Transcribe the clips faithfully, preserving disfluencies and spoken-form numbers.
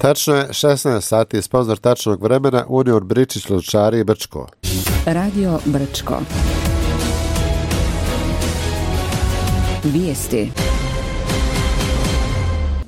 Tačno je šesnaest sati, sponzor tačnog vremena Union Bričić Lončari i Brčko. Radio Brčko. Vijesti.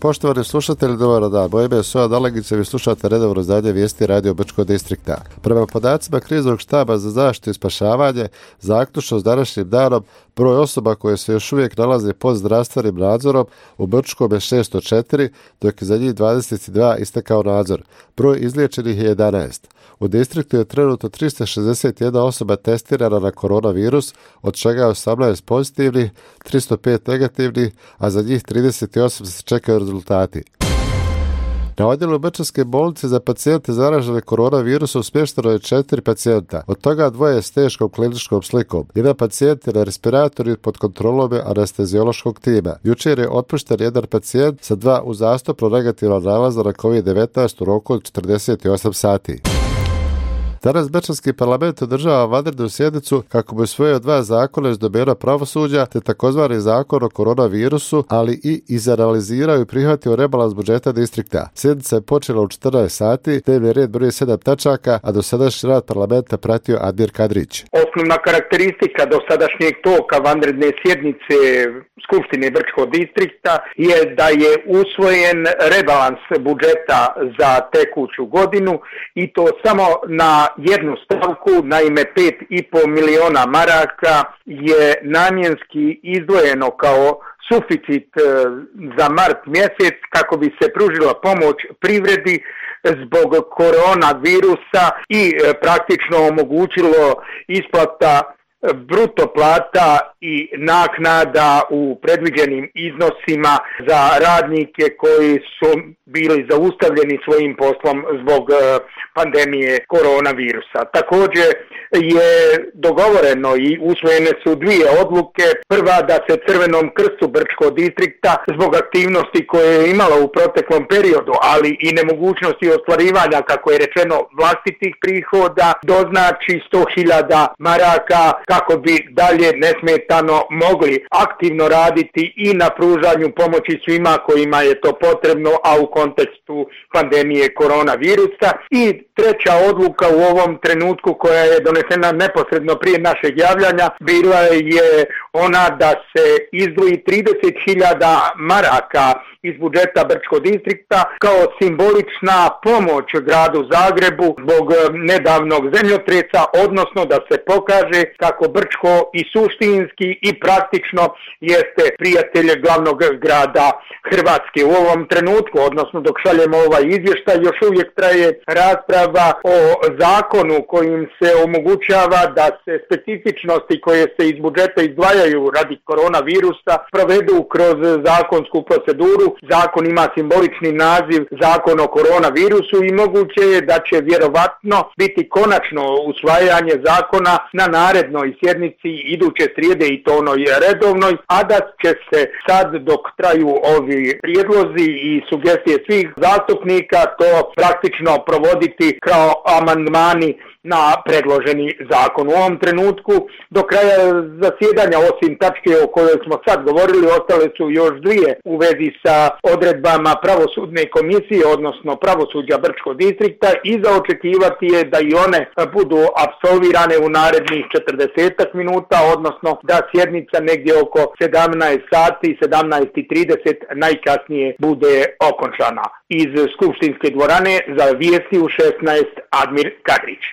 Poštovani slušatelji, dobar dan. Moje ime je Soja Dalegić, vi slušate redovno izdanje vijesti Radio Brčko distrikta. Prema podacima kriznog štaba za zaštitu i spašavanje, zaključno s današnjim danom, broj osoba koje se još uvijek nalaze pod zdravstvenim nadzorom u Brčkom je šesto četiri, dok je za njih dvadeset dva istekao nadzor. Broj izliječenih je jedanaest. U distriktu je trenutno tristo šezdeset jedna osoba testirana na koronavirus, od čega je osamnaest pozitivnih, tristo pet negativnih, a za njih trideset osam se čekaju rezultati. Na odjelu Brčanske bolnice za pacijente zaražene koronavirusom smješteno je četiri pacijenta, od toga dvoje s teškom kliničkom slikom. Jedan pacijent je na respiratoru i pod kontrolom anesteziološkog tima. Jučer je otpušten jedan pacijent sa dva uzastopno negativna nalaza na kovid devetnaest u roku od četrdeset osam sati. Danas Brčanski parlament održava vanrednu sjednicu kako bi usvojio dva zakona iz domena pravosuđa te takozvani zakon o koronavirusu, ali i izanalizirao i prihvatio rebalans budžeta distrikta. Sjednica je počela u četrnaest sati, dnevni red broji sedam tačaka, a dosadašnji rad parlamenta pratio Admir Kadrić. Osnovna karakteristika dosadašnjeg toka vanredne sjednice Skupštine Brčkog distrikta je da je usvojen rebalans budžeta za tekuću godinu i to samo na jednu stavku, naime pet i pol miliona maraka je namjenski izdvojeno kao suficit za mart mjesec kako bi se pružila pomoć privredi zbog koronavirusa i praktično omogućilo isplata bruto plata i naknada u predviđenim iznosima za radnike koji su bili zaustavljeni svojim poslom zbog pandemije koronavirusa. Također je dogovoreno i usvojene su dvije odluke. Prva, da se Crvenom krstu Brčkog distrikta zbog aktivnosti koje je imala u proteklom periodu, ali i nemogućnosti ostvarivanja, kako je rečeno, vlastitih prihoda, doznači sto hiljada maraka kako bi dalje nesmetano mogli aktivno raditi i na pružanju pomoći svima kojima je to potrebno, a u kontekstu pandemije koronavirusa. I treća odluka u ovom trenutku koja je donesena neposredno prije našeg javljanja bila je ona da se izdvoji trideset hiljada maraka iz budžeta Brčkog distrikta kao simbolična pomoć gradu Zagrebu zbog nedavnog zemljotresa, odnosno da se pokaže kako Brčko i suštinski i praktično jeste prijatelj glavnog grada Hrvatske. U ovom trenutku, odnosno dok šaljemo ovaj izvještaj, još uvijek traje rasprava o zakonu kojim se omogućava da se specifičnosti koje se iz budžeta izdvajaju radi koronavirusa provedu kroz zakonsku proceduru. Zakon ima simbolični naziv Zakon o koronavirusu i moguće je da će vjerovatno biti konačno usvajanje zakona na narednoj sjednici iduće srijede i to onoj redovnoj, a da će se sad dok traju ovi prijedlozi i sugestije svih zastupnika to praktično provoditi kao amandmani na predloženi zakon. U ovom trenutku do kraja zasjedanja, osim tačke o kojoj smo sad govorili, ostale su još dvije u vezi sa odredbama pravosudne komisije, odnosno pravosuđa Brčkog distrikta, i za očekivati je da i one budu apsolvirane u narednih četrdeset minuta, odnosno da sjednica negdje oko sedamnaest sati, sedamnaest i trideset najkasnije bude okončana. Iz skupštinske dvorane za vijesti u šesnaest Admir Kadrić.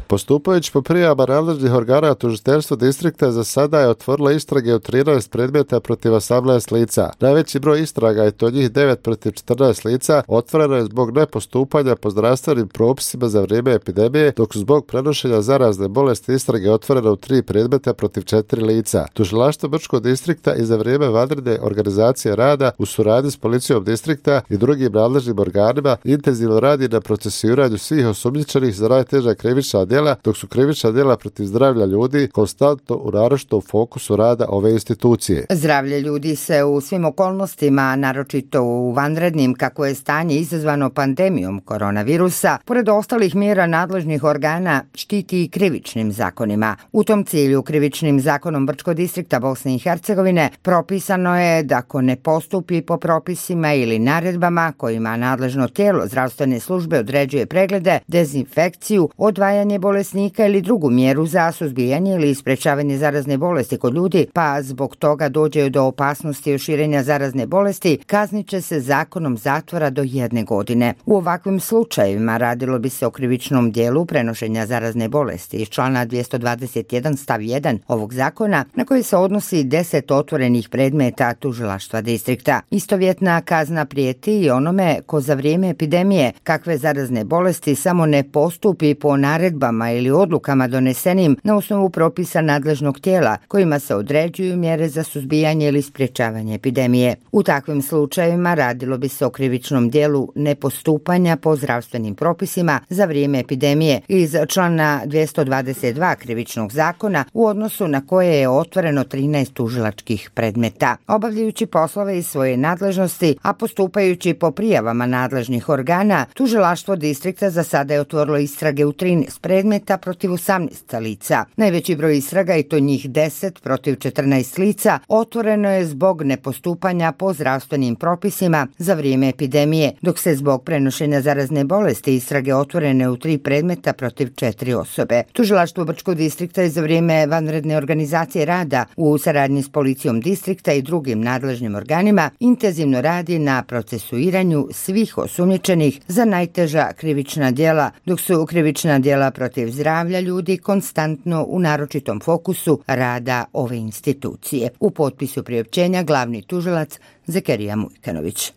Postupajući po prijavama nadležnih organa, tužiteljstvo distrikta za sada je otvorilo istrage u trinaest predmeta protiv osamnaest lica. Najveći broj istraga, je to njih devet protiv četrnaest lica, otvoreno je zbog nepostupanja po zdravstvenim propisima za vrijeme epidemije, dok su zbog prenošenja zarazne bolesti istrage otvorene u tri predmeta protiv četiri lica. Tužilaštvo Brčkog distrikta i za vrijeme vanredne organizacije rada u suradnji s policijom distrikta i drugim nadležnim organima intenzivno radi na procesuiranju svih osumnjičenih za najteža krivična djela djela, dok su krivična djela protiv zdravlja ljudi konstantno u naročitom fokusu rada ove institucije. Zdravlje ljudi se u svim okolnostima, naročito u vanrednim kako je stanje izazvano pandemijom koronavirusa, pored ostalih mjera nadležnih organa, štiti i krivičnim zakonima. U tom cilju krivičnim zakonom Brčkog distrikta Bosne i Hercegovine propisano je da ako ne postupi po propisima ili naredbama kojima nadležno tijelo zdravstvene službe određuje preglede, dezinfekciju, odvajanje bolesnika ili drugu mjeru za suzbijanje ili sprečavanje zarazne bolesti kod ljudi, pa zbog toga dođe do opasnosti od širenja zarazne bolesti, kaznit će se zakonom zatvora do jedne godine. U ovakvim slučajevima radilo bi se o krivičnom dijelu prenošenja zarazne bolesti iz člana dvjesto dvadeset jedan stav jedan ovog zakona, na koji se odnosi deset otvorenih predmeta tužilaštva distrikta. Istovjetna kazna prijeti i onome ko za vrijeme epidemije kakve zarazne bolesti samo ne postupi po naredbama ili odlukama donesenim na osnovu propisa nadležnog tijela kojima se određuju mjere za suzbijanje ili sprječavanje epidemije. U takvim slučajevima radilo bi se o krivičnom dijelu nepostupanja po zdravstvenim propisima za vrijeme epidemije iz člana dvjesto dvadeset dva krivičnog zakona, u odnosu na koje je otvoreno trinaest tužilačkih predmeta. Obavljajući poslove iz svoje nadležnosti, a postupajući po prijavama nadležnih organa, tužilaštvo distrikta za sada je otvorilo istrage u trinaest predmeta protiv osamnaest lica. Najveći broj istraga, i to njih deset protiv četrnaest lica, otvoreno je zbog nepostupanja po zdravstvenim propisima za vrijeme epidemije, dok se zbog prenošenja zarazne bolesti istrage otvorene u tri predmeta protiv četiri osobe. Tužilaštvo Brčkog distrikta je za vrijeme vanredne organizacije rada u saradnji s policijom distrikta i drugim nadležnim organima intenzivno radi na procesuiranju svih osumnjičenih za najteža krivična djela, dok su krivična djela protiv zdravlja ljudi konstantno u naročitom fokusu rada ove institucije. U potpisu priopćenja glavni tužilac Zekerija Mujkanović.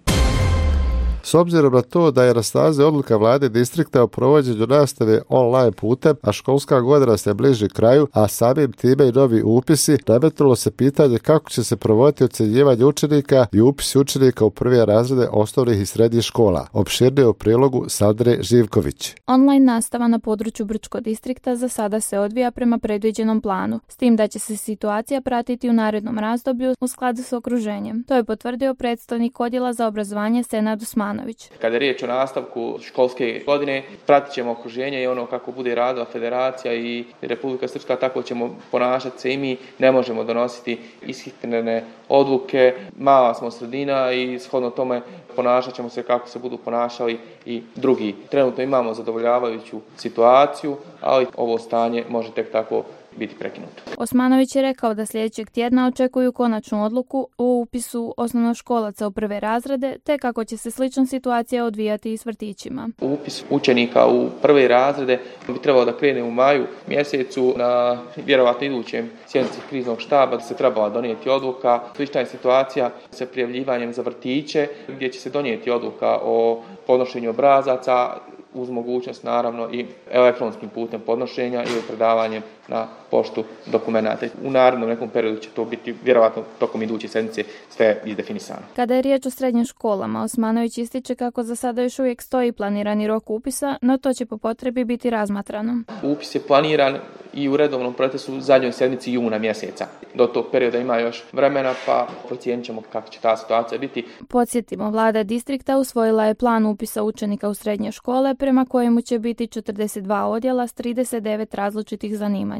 S obzirom na to da je na snazi odluka vlade distrikta o provođenju nastave online putem, a školska godina se bliži kraju, a samim time i novi upisi, nametnulo se pitanje kako će se provoditi ocjenjivanje učenika i upisi učenika u prve razrede osnovnih i srednjih škola. Opširnije u prilogu Sandre Živković. Online nastava na području Brčkog distrikta za sada se odvija prema predviđenom planu, s tim da će se situacija pratiti u narednom razdoblju u skladu s okruženjem. To je potvrdio predstavnik odjela za obrazovanje Senad Usmanović. Kada je riječ o nastavku školske godine, pratit ćemo okruženje i ono kako bude radila Federacija i Republika Srpska, tako ćemo ponašati se i mi. Ne možemo donositi ishitrene odluke, mala smo sredina i shodno tome ponašat ćemo se kako se budu ponašali i drugi. Trenutno imamo zadovoljavajuću situaciju, ali ovo stanje može tek tako biti prekinuto. Osmanović je rekao da sljedećeg tjedna očekuju konačnu odluku o upisu osnovnoškolaca u prve razrede, te kako će se slična situacija odvijati i s vrtićima. Upis učenika u prve razrede bi trebalo da krene u maju mjesecu. Na vjerovatno idućem sjednici kriznog štaba se trebala donijeti odluka. Slična je situacija sa prijavljivanjem za vrtiće, gdje će se donijeti odluka o podnošenju obrazaca, uz mogućnost naravno i elektronskim putem podnošenja ili predavanjem na poštu dokumenata. U narednom nekom periodu će to biti vjerovatno tokom iduće sedmice sve izdefinisano. Kada je riječ o srednjim školama, Osmanović ističe kako za sada još uvijek stoji planirani rok upisa, no to će po potrebi biti razmatrano. Upis je planiran i u redovnom procesu u zadnjoj sedmici juna mjeseca. Do tog perioda ima još vremena, pa procijenit ćemo kako će ta situacija biti. Podsjetimo, vlada distrikta usvojila je plan upisa učenika u srednje škole, prema kojemu će biti četrdeset dva odjela s trideset devet različitih zanimanja.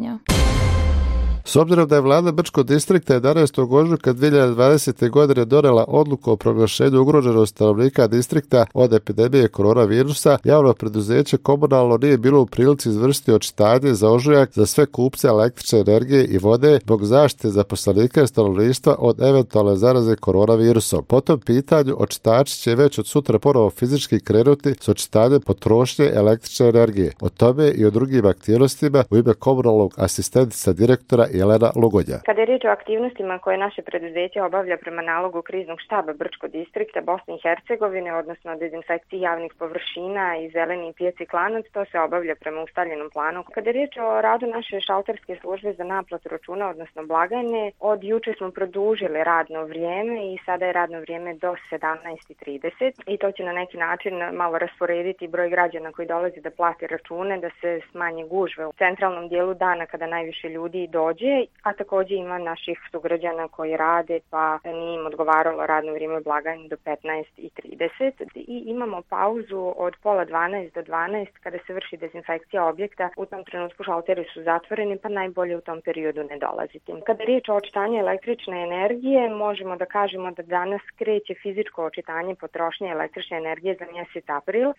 S obzirom da je vlada Brčkog distrikta jedanaestog ožujka dvije hiljade dvadesete. godine donijela odluku o proglašenju ugroženosti stanovnika distrikta od epidemije koronavirusa, javno preduzeće komunalno nije bilo u prilici izvršiti očitanje za ožujak za sve kupce električne energije i vode zbog zaštite zaposlenika i stanovništva od eventualne zaraze koronavirusom. Po tom pitanju očitači će već od sutra ponovo fizički krenuti s očitanjem potrošnje električne energije. O tome i o drugim aktivnostima u ime komunalnog asistentica direktora i Jelena Lugodja. Kada je riječ o aktivnostima koje naše preduzeće obavlja prema nalogu kriznog štaba Brčkog distrikta Bosne i Hercegovine, odnosno dezinfekciji javnih površina i zeleni pijaci Klanac, to se obavlja prema ustaljenom planu. Kada je riječ o radu naše šalterske službe za naplatu računa, odnosno blagajne, od juče smo produžili radno vrijeme i sada je radno vrijeme do sedamnaest i trideset i to će na neki način malo rasporediti broj građana koji dolazi da plati račune, da se smanje gužve u centralnom dijelu dana kada najviše ljudi dođe, a također ima naših sugrađana koji rade pa nije im odgovaralo radno vrijeme blagajne do petnaest i trideset i imamo pauzu od pola dvanaest do dvanaest kada se vrši dezinfekcija objekta. U tom trenutku šalteri su zatvoreni pa najbolje u tom periodu ne dolaziti. Kada je riječ o očitanju električne energije, možemo da kažemo da danas kreće fizičko očitanje potrošnje električne energije za mjesec april.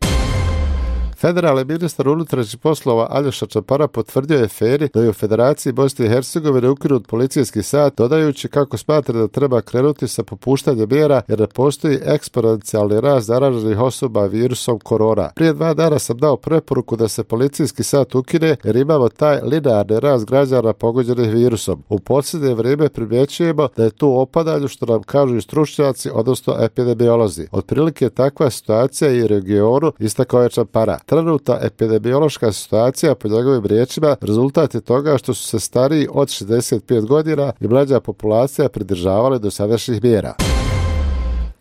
Federalni ministar unutrašnjih poslova Aljoša Čapara potvrdio je Feri da je u Federaciji Bosne i Hercegovine ukinut policijski sat, dodajući kako smatra da treba krenuti sa popuštanjem mjera jer ne postoji eksponencijalni rast zaraženih osoba virusom korona. Prije dva dana sam dao preporuku da se policijski sat ukine jer imamo taj linearni rast građana pogođenih virusom. U posljednje vrijeme primjećujemo da je tu opadanje što nam kažu i stručnjaci, odnosno epidemiolozi. Otprilike je takva situacija i u regionu, istakao je Čapara. Trenutna epidemiološka situacija, po njegovim riječima, rezultat je toga što su se stariji od šezdeset pet godina i mlađa populacija pridržavali do sadašnjih mjera.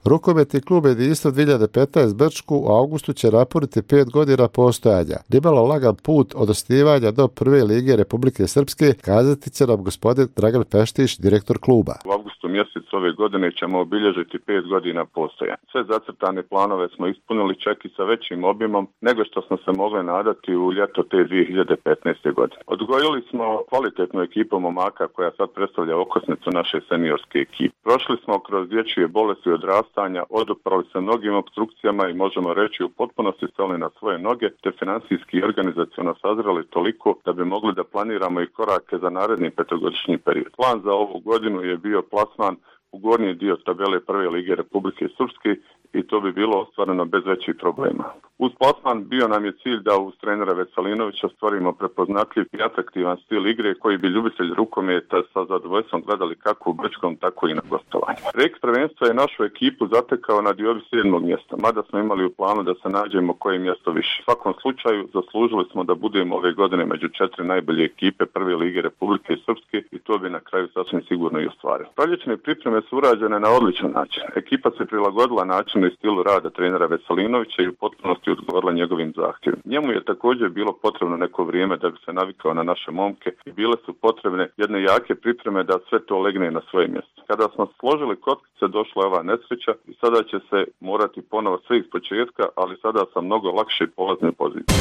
Rukometni klub Jedinstvo dvije hiljade petnaest Brčku u augustu će napuniti pet godina postojanja. Nimalo lagan put od osnivanja do prve lige Republike Srpske, kazati će nam gospodin Dragan Peštić, direktor kluba. U avgustu mjesecu ove godine ćemo obilježiti pet godina postojanja. Sve zacrtane planove smo ispunili čak i sa većim obimom nego što smo se mogli nadati u ljeto te dvije hiljade petnaeste. godine. Odgojili smo kvalitetnu ekipu momaka koja sad predstavlja okosnicu naše seniorske ekipe. Prošli smo kroz dječje bolesti odrastanja, oduprali se mnogim opstrukcijama i možemo reći u potpunosti stali na svoje noge, te financijski i organizaciono sazreli toliko da bi mogli da planiramo i korake za naredni petogodišnji period. Plan za ovu godinu je bio plasman u gornji dio tabele prve lige Republike Srpske i to bi bilo ostvareno bez većih problema. Uz plasman bio nam je cilj da uz trenera Veselinovića stvorimo prepoznatljiv i atraktivan stil igre koji bi ljubitelji rukometa sa zadovoljstvom gledali kako u Brčkom, tako i na gostovanju. Reks prvenstva je našu ekipu zatekao na diobi sedmog mjesta, mada smo imali u planu da se nađemo koje mjesto više. U svakom slučaju zaslužili smo da budemo ove godine među četiri najbolje ekipe prve lige Republike Srpske i to bi na kraju sasvim sigurno i ostvarilo. Proljećne pripreme su urađene na odličan način. Ekipa se prilagodila načinu i stilu rada trenera Veselinovića i u potpunosti odgovorila njegovim zahtjevima. Njemu je također bilo potrebno neko vrijeme da bi se navikao na naše momke i bile su potrebne jedne jake pripreme da sve to legne na svoje mjesto. Kada smo složili kockice, došla je ova nesreća i sada će se morati ponovo sve iz početka, ali sada sa mnogo lakše i polazne pozicije.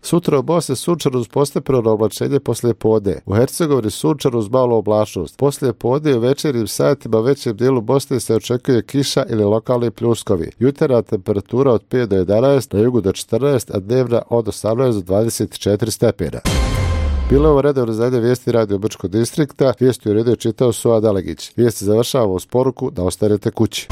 Sutra u Bosni sunčano uz postepeno oblačenje poslije podne. U Hercegovini sunčano uz malu oblačnost. Poslije podne i u večernjim satima u većem dijelu Bosne se očekuje kiša ili lokalni pljuskovi. Jutarnja temperatura od pet do jedanaest, na jugu do četrnaest, a dnevna od osamnaest do dvadeset četiri stepena. Bilo je ovo redovno izdanje vijesti Radio Brčkog distrikta. Vijesti u redu je čitao Suad Alegić. Vijesti završavamo uz poruku da ostanete kući.